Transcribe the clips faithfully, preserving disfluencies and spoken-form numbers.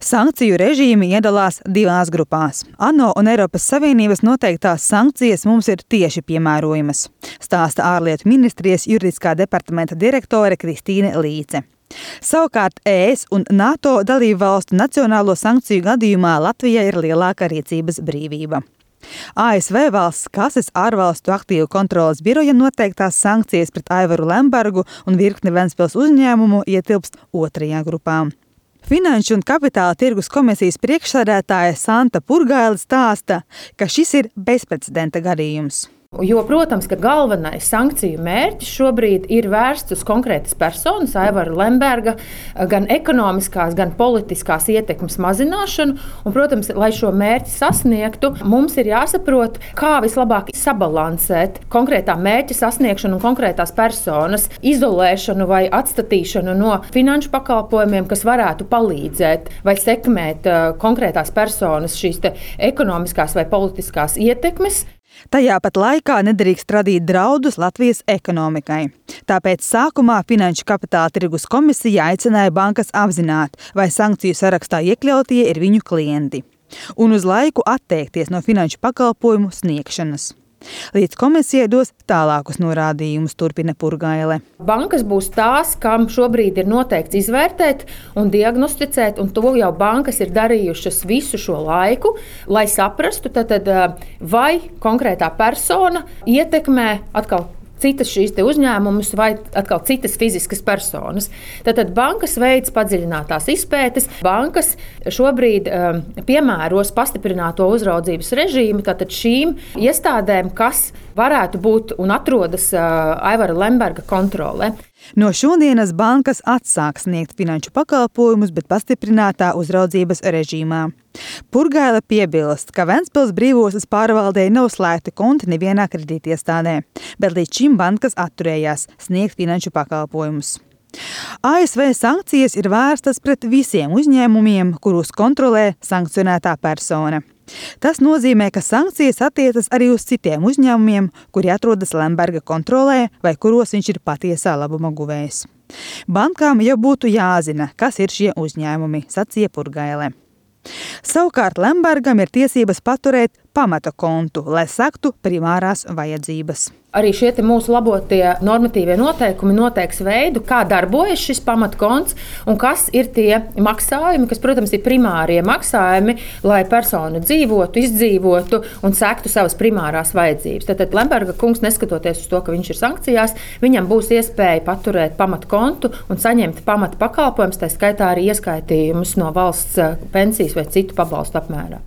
Sankciju režīmi iedalās divās grupās. ANO un Eiropas Savienības noteiktās sankcijas mums ir tieši piemērojamas, stāsta ārlietu ministrijas juridiskā departamenta direktore Kristīne Līce. Savukārt E S un NATO dalību valstu nacionālo sankciju gadījumā Latvijai ir lielāka rīcības brīvība. A S V valsts kases ārvalstu aktīvu kontroles biroja noteiktās sankcijas pret Aivaru Lembergu un virkni Ventspils uzņēmumu ietilpst otrajā grupā. Finanšu un kapitāla tirgus komisijas priekšsēdētāja Santa Purgaile stāsta, ka šis ir bezprecedenta gadījums. Jo, protams, ka galvenais sankciju mērķis šobrīd ir vērsts uz konkrētas personas, Aivara Lemberga, gan ekonomiskās, gan politiskās ietekmes mazināšanu. Un, protams, lai šo mērķi sasniegtu, mums ir jāsaprot, kā vislabāk sabalansēt konkrētā mērķa sasniegšanu un konkrētās personas izolēšanu vai atstatīšanu no finanšu pakalpojumiem, kas varētu palīdzēt vai sekmēt konkrētās personas šīs te ekonomiskās vai politiskās ietekmes. Tajā pat laikā nedrīkst radīt draudus Latvijas ekonomikai. Tāpēc sākumā Finanšu kapitāla tirgus komisija aicināja bankas apzināt, vai sankciju sarakstā iekļautie ir viņu klienti, un uz laiku atteikties no finanšu pakalpojumu sniegšanas. Līdz komisijai dos tālākus norādījumus, turpina Purgaile. Bankas būs tās, kam šobrīd ir noteikts izvērtēt un diagnosticēt, un to jau bankas ir darījušas visu šo laiku, lai saprastu, tad, vai konkrētā persona ietekmē atkal citas šīs te uzņēmumus vai atkal citas fiziskas personas. Tātad bankas veids padziļinātās izpētes. Bankas šobrīd um, piemēros pastiprināto uzraudzības režīmu tātad šīm iestādēm, kas varētu būt un atrodas uh, Aivara Lemberga kontrolē. No šodienas bankas atsāk sniegt finanšu pakalpojumus, bet pastiprinātā uzraudzības režīmā. Purgaile piebilst, ka Ventspils brīvostas pārvaldē nav slēgti konti nevienā kredītiestādē, bet līdz šim bankas atturējās sniegt finanšu pakalpojumus. A S V sankcijas ir vērstas pret visiem uzņēmumiem, kurus kontrolē sankcionētā persona. Tas nozīmē, ka sankcijas attiecas arī uz citiem uzņēmumiem, kuri atrodas Lemberga kontrolē vai kuros viņš ir patiesā labuma guvējs. Bankām jau būtu jāzina, kas ir šie uzņēmumi, sacīja Purgaile. Savukārt Lembergam ir tiesības paturēt pamata kontu, lai sektu primārās vajadzības. Arī šie mūsu labotie normatīvie noteikumi noteiks veidu, kā darbojas šis pamatkonts un kas ir tie maksājumi, kas, protams, ir primārie maksājumi, lai persona dzīvotu, izdzīvotu un sektu savas primārās vajadzības. Tātad Lemberga kungs, neskatoties uz to, ka viņš ir sankcijās, viņam būs iespēja paturēt pamatkontu un saņemt pamata pakalpojumus, tā skaitā arī ieskaitījumus no valsts pensijas vai citu pabalstu apmērā.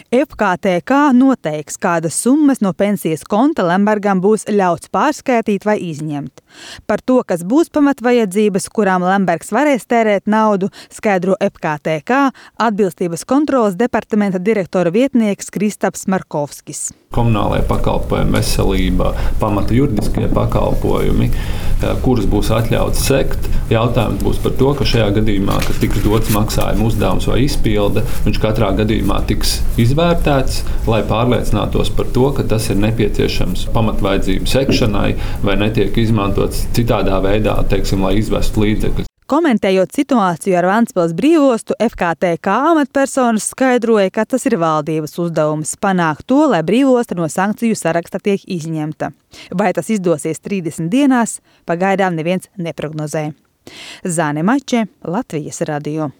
F K T K noteiks, kādas summas no pensijas konta Lembergam būs ļauts pārskaitīt vai izņemt. Par to, kas būs pamatvajadzības, kurām Lembergs varēs tērēt naudu, skaidro F K T K atbilstības kontroles departamenta direktora vietnieks Kristaps Markovskis. Komunālajie pakalpojumi, veselība, pamata juridiskie pakalpojumi, kurus būs atļauts sekt. Jautājums būs par to, ka šajā gadījumā, kad tiks dots maksājuma uzdevums vai izpilde, viņš katrā gadījumā tiks izvērtēts, lai pārliecinātos par to, ka tas ir nepieciešams pamatvajadzību sekšanai vai netiek izmantots citādā veidā, teiksim, lai izvestu līdzekļus. Komentējot situāciju ar Ventspils brīvostu, F K T K amatpersonas skaidroja, ka tas ir valdības uzdevums panākt to, lai brīvosta no sankciju saraksta tiek izņemta. Vai tas izdosies trīsdesmit dienās, pagaidām neviens neprognozē. Zane Mače, Latvijas radio.